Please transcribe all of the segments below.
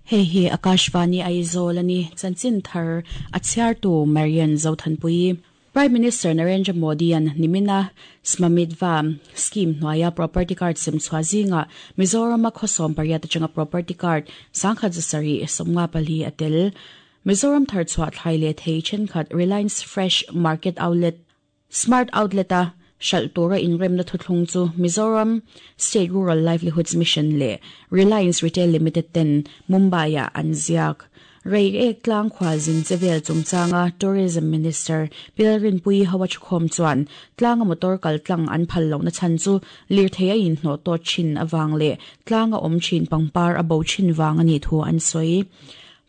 Hei hi Akashvani Aizawl a ni, chanchin thar a chhiartu Marian Zothanpuii. Prime Minister Narendra Modi-a'n nimina Smamitva scheme hnuaia property card sem chhuah zingah Mizorama khaw 18 atanga property card 1774 a tel. Mizoram thar chhuah thlai leh thei thenkhat Reliance Fresh Market Outlet, Smart Outlet-a hralh tura inremna thuthlung chu Mizoram State Rural Livelihoods Mission leh Reliance Retail Limited ten Mumbai-ah an ziak. Reiek tlang khualzin che vel chungchanga Tourism Minister Pilrinpuii Hawachkhawm chuan tlanga motor kal tlang an phal lohna chhan chu lirthei a inhnawh tawt thin avang leh tlanga awm thin pangpar a bo thin vang a nih thu an sawi.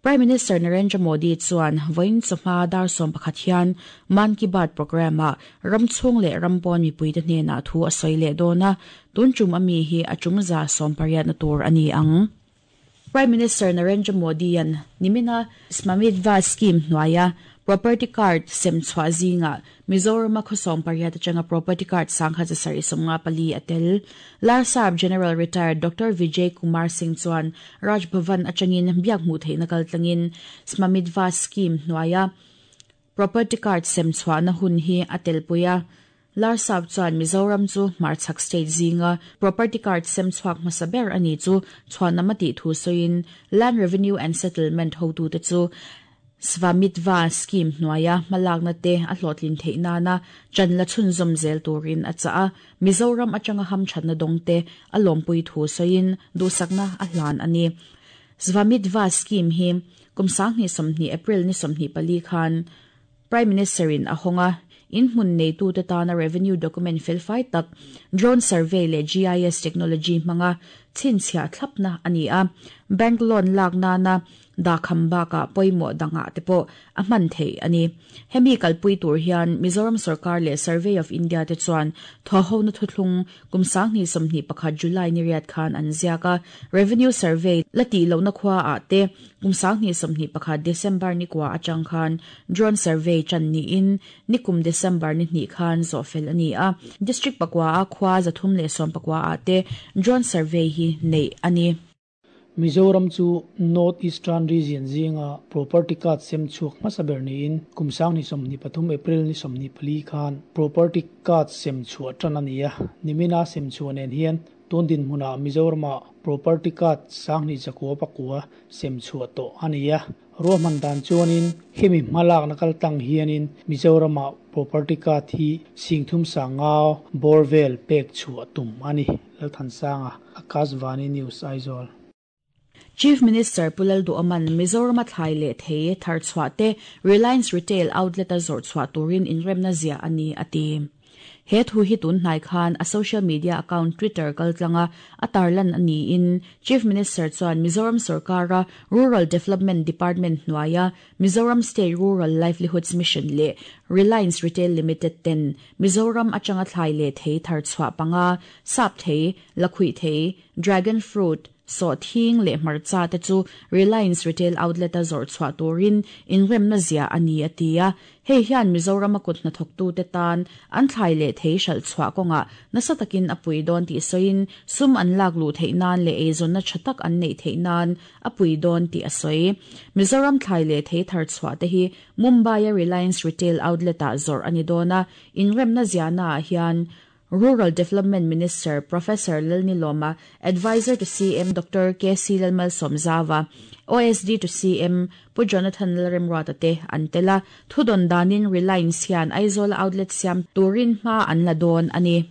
Prime Minister Narendra Modi chuan vawiin chawhma dar 11 hian Mann Ki Baat programme-ah ram chhung leh ram pawn mipuite hnenah thu a sawi leh dawn a, tun tum a mi hi a tum za 18 na tur a ni ang. Prime Minister Narendra Modi-a'n nimina Smamitva scheme hnuaia property card sem chhuah zingah Mizorama khaw 18 atanga property card 1754 a tel. Larsap General Retired Doctor Vijay Kumar Singh chuan Raj Bhavan atangin biak hmuh theihna kal tlangin Smamitva scheme hnuaia property card sem chhuahna hun hi a telpui a. Larsap chuan Mizoram chu hmarchhak state zinga property card sem chhuak hmasa ber a ni chu chhuanam a tih thu sawiin Land Revenue and Settlement hotute chu Svamitva scheme hnuaia hmalakna te a hlawhtlin theih nana chan la chhunzawm zel turin a chah a, Mizoram atanga hamthatna dawng te a lawmpui thu sawiin duhsakna a hlan a ni. Svamitva scheme hi kum 2020 April ni 24 khan Prime Minister in a hawng a, in hmun neitute tana revenue document felfai tak drone survey leh GIS technology hmanga chhinchhiah thlapna a ni a, bank loan lak nana Dakham bakah pawimawh dangah te pawh a hman theih a ni. Hemi kalpui tur hian Mizoram sorkar leh Survey of India te chuan thawhhona thuthlung kum 2021 July ni riat khan an ziak a, Revenue Survey la tih lohna khuaah te kum 2021 December ni kua atang khan Drone Survey tan niin nikum December ni hnih khan zawhfel a ni a, District pakua a khua 319 ah te Drone Survey hi neih a ni. Mizoram chu North Eastern Region zinga property card sem chhuak hmasa ber niin kum 2023 April ni 24 khan property card sem chhuah tan a ni a, nimina sem chhuah nen hian tun dinhmunah Mizorama property card 2909 sem chhuah tawh a ni a. Ruahman dan chuanin hemi hmalakna kal tlang hianin Mizorama property card hi 35,000 bawr vel pek chhuah tum a ni. Lalthansanga, Akashvani News, Aizawl. Chief Minister Pu Lalduhoma'n Mizorama thlai leh thei thar chhuah te Reliance Retail Outlet-a zawrh chhuah turin inremna ziah a ni, a ti. He thu hi tun hnai khan a social media account Twitter kaltlanga a tarlan a niin Chief Minister chuan Mizoram sorkara Rural Development Department hnuaia Mizoram State Rural Livelihoods Mission leh Reliance Retail Limited ten Mizoram atanga thlai leh thei thar chhuah panga, sap thei, lakhuih thei, dragon fruit, sawhthing leh hmarcha te chu Reliance Retail Outlet-a zawrh chhuah turin inremna ziah a ni, a ti a. Hei hian Mizorama kut hnathawktute tan an thlai leh thei hralh chhuah kawngah nasa takin a pui dawn tih sawiin sum an lak luh theih nan leh eizawnna tha tak an neih theih nan a pui dawn tih a sawi. Mizoram thlai leh thei thar chhuah te hi Mumbai-a Reliance Retail Outlet-ah zawrh a ni dawn a, inremna ziahnaah hian Rural Development Minister Professor Lalnilawma, Adviser to CM Doctor KC Lalmalsawmzava, OSD to CM Pu Jonathan Lalremruata te an tel a, thudawn danin Reliance hian Aizawl outlet siam turin hma an la dawn a ni.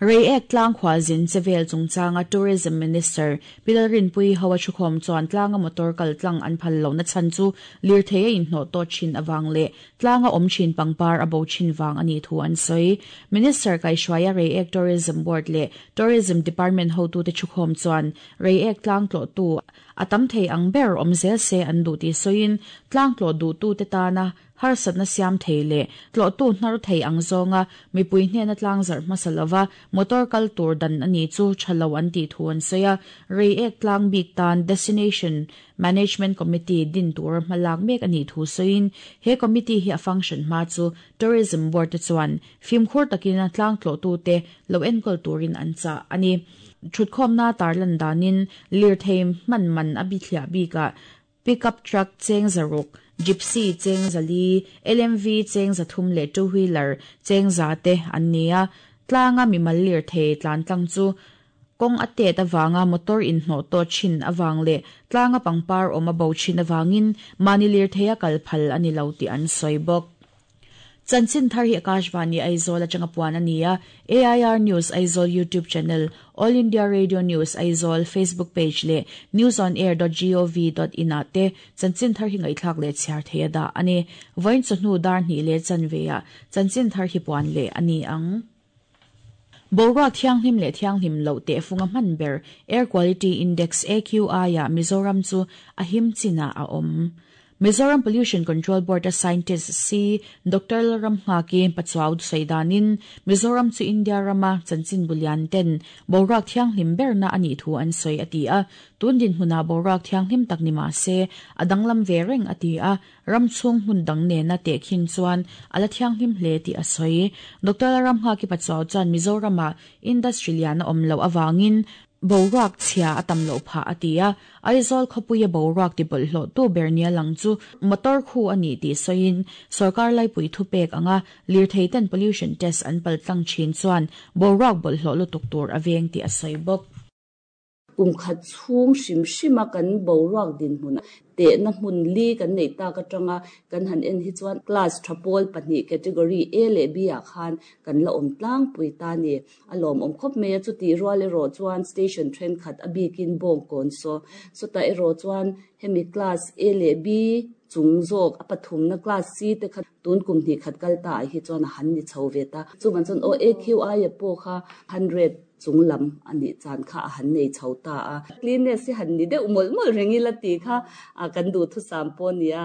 Reiek tlang khualzin che vel chungchanga Tourism Minister Pi Lalrinpuii ho a thukhawm chuan tlanga motor kal tlang an phal lohna chhan chu lirthei a inhnawh tawt thin avang leh tlanga awm thin pangpar a bo thin vang a nih thu an sawi. Minister kaihhruaia Reiek Tourism Board leh Tourism Department hotute thukhawm chuan Reiek tlang tlawhtu a tam thei ang ber awm zel se an duh tih sawiin tlang tlawh duhtute tana harsatna siam thei leh tlawhtu hnar thei ang zawnga mipui hnena tlang zarh hmasa lova motor kal tur dan a ni chu tha lo an tih thu an sawi a. Reiek tlang bik tan Destination Management Committee din tura hmalak mek a nih thu sawiin he committee hi a function hma chu Tourism Board te chuan fimkhur takin tlang tlawhtute lo enkawl turin an chah a ni. Thutkhawmna tarlan danin lirthei hman man a bithliah bikah Pickup truck cheng 600, Gypsy cheng 400, LMV cheng 300 leh two wheeler cheng 100 te an ni a. Tlanga mimal lirthei tlan tlang chu kawng a tet avanga motor inhnawh tawh thin avang leh tlanga pangpar awm a bo thin avangin mahni lirtheia kal phal a ni lo tih an sawi bawk. Chanchin thar hi Akashvani Aizawl atanga puan a ni a, AIR News Aizawl YouTube channel, All India Radio News Aizawl Facebook page leh newsonair.gov.in ah te chanchin thar hi ngaihthlak leh chhiar thei a dah a ni. Vawiin chawhnu dar hnih leh chanve ah chanchin thar hi puan leh a ni ang. Boruak thianghlim leh thianghlim loh tehfunga hman ber Air Quality Index, AQI, ah Mizoram chu a him chinah a awm. Mizoram Pollution Control Board-a scientist si Doctor Lalramnghaki Pachuau sawi danin Mizoram chu India rama chanchinbu lian ten boruak thianghlim berna a nih thu an sawi a ti a. Tun dinhmunah boruak thianghlim tak ni mah se a danglam ve reng a ti a, ram chhung hmun dang nena tehkhin chuan a la thianghlim hle tih a sawi. Doctor Lalramnghaki Pachuau chuan Mizoramah industry lian a awm loh avangin Boruak chhia a tam loh phah a ti a, Aizawl khawpuia boruak ti bawlhhlawhtu ber nia lang chu motor khu a ni tih sawiin sawrkar laipui thupek anga lirthei ten pollution test an pal tlang thin chuan boruak bawlhhlawh lutuk tur a veng tih a sawi bawk. Kum khat chhung hrim hrima kan boruak dinhmun Tehna hmun li kan neih tak atanga kan han en hi chuan class tha pawl pahnih category A leh B ah khan kan la awm tlangpui ta a ni. A lawmawm khawp mai a, chutih rual erawh chuan station thenkhat a bikin Bawngkawn saw sawtah erawh chuan hemi class A leh B chung zawk a pathumna class C te kha tun kum hnih khat kal ta ah hi chuan a han ni chho ve ta. Chuvang chuan aw AQI a pawh kha 100 chung lam a nih chan kha a han nei chho ta a. Cleanness hi han ni deuh mawlh mawlh reng ila tih kha kan duhthusam pawh a ni a,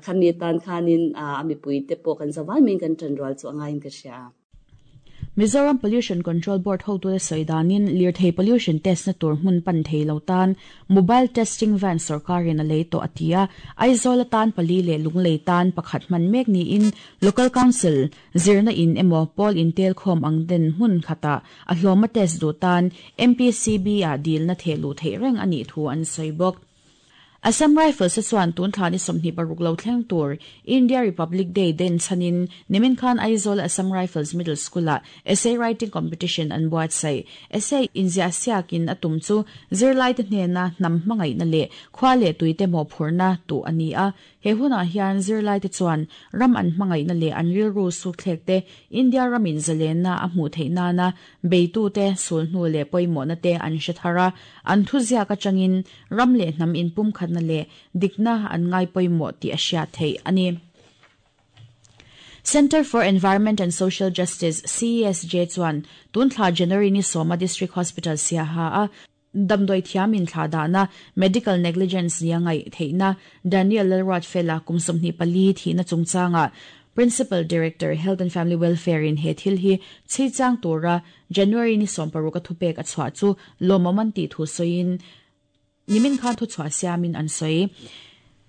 khami tan khanin a mipuite pawh kan zavai maiin kan ṭanrual chu a ngaiin ka hria. Mizoram Pollution Control Board hotute sawi danin lirthei pollution test na tur hmun pan thei lo tan mobile testing van sawrkarin a lei tawh a ti a. Aizawl atan pali leh Lunglei tan pakhat hman mek niin Local Council zirna in emaw pawl intel khawm ang den hmun khatah a hlawma test duh tan MPCB ah dilna theh luh theih reng a nih thu an sawi bawk. Assam Rifles-a chuan tun thla ni 26 lo thleng tur India Republic Day den chhanin nimin khan Aizawl Assam Rifles Middle School-ah Essay Writing Competition an buatsaih. Essay inziah siakin a tum chu zirlaite hnena hnam hmangaihna leh khua leh tuite mawhphurhna tuh a ni a. He hunah hian zirlaite chuan ram an hmangaihna leh an rilru sukthlek te, India ramin zalenna a hmuh theih nana beitute sulhnu leh pawimawhna te an hre thar a, an thuziak atangin ram leh hnam inpumkhatna leh dikna an ngai pawimawh tih a hriat theih a ni. Centre for Environment and Social Justice, CESJ, chuan tun thla January ni sawma District Hospital Siaha a Damdawi thiam inthlah dahna, medical negligence nia ngaih theihna, Daniel Lalruatfela kum 24 thihna chungchangah Principal Director, Health and Family Welfare in he thil hi chhi chang tura January ni 16 a thupek a chhuah chu lawmawm an tih thu sawiin nimin khan thuchhuah siamin an sawi.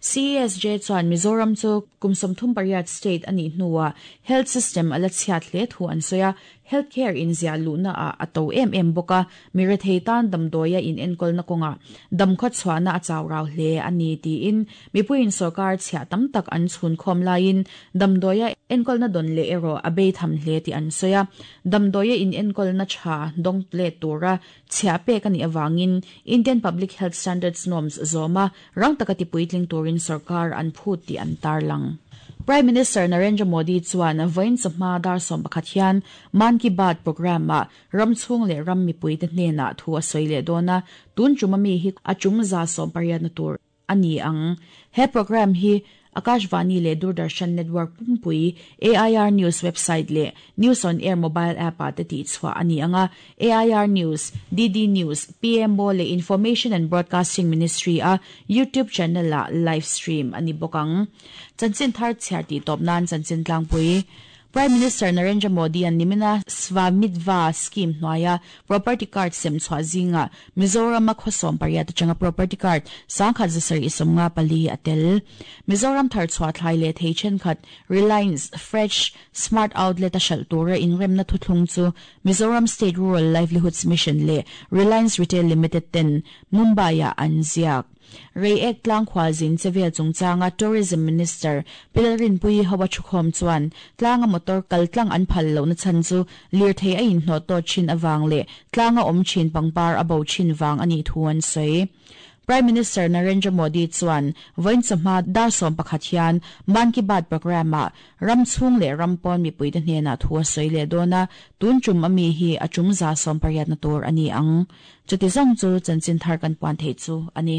CESJ chuan Mizoram chu kum 38 state a nih hnuah health system a la chhiat hle thu an sawi a, health care inziah luhna ah a to em em bawk a, mi rethei tan damdawia inenkawlna kawngah damkhaw chhuahna a chau rau hle a ni tiin mipuiin sorkar chhiah tam tak an chhun khawm laiin damdawia enkawlna dawn leh erawh a bei tham hle tih an sawi a, damdawia inenkawlna tha dawng let tura Chhiah pek a nih avangin Indian Public Health Standards Norms zawma rang taka tipuitling turin sorkar an phut tih an tarlang. Prime Minister Narendra Modi chuan vawiin chawhma dar 11 hian Mann Ki Baat programme-ah ram chhung leh ram mipuite hnenah thu a sawi leh dawn a, tun ṭuma mi hi a ṭum 180na tur a ni ang. He programme hi Akashvani leh Doordarshan network pumpui, AIR News website leh News on Air mobile app-ah te tihchhuah a ni ang a. AIR News, DD News, PMO leh Information and Broadcasting Ministry-a YouTube channel-ah live stream a ni bawk ang. Chanchin thar chhiar tih tawp nan chanchin tlangpui. Prime Minister Narendra Modi-a'n nimina Svamitva Scheme hnuaia property card sem chhuah zingah Mizoram-a khaw 18 atanga property card 1754 a tel. Mizoram thar chhuah thlai leh thei thenkhat Reliance Fresh Smart Outlet a hralh tura inremna thuthlung chu Mizoram State Rural Livelihoods Mission leh Reliance Retail Limited ten Mumbai-ah an ziak. Reiek tlang khualzin chevel chungchanga Tourism Minister Pi Lalrinpuii ho a thukhawm chuan tlanga motor kal tlang an phal lohna chhan chu lirthei a inhnawh tawt thin avang leh tlanga awm thin pangpar a bo thin vang a nih thu an sawi. Prime Minister Narendra Modi chuan vawiin chawhma dar 11 hian Mann Ki Baat programme-ah ram chhung leh ram pawn mipuite hnenah thu a sawi leh dawn a, tun tum ami hi a tum 180 na tur a ni ang. Chuti zawng chu chanchin thar kan puan theih chu a ni.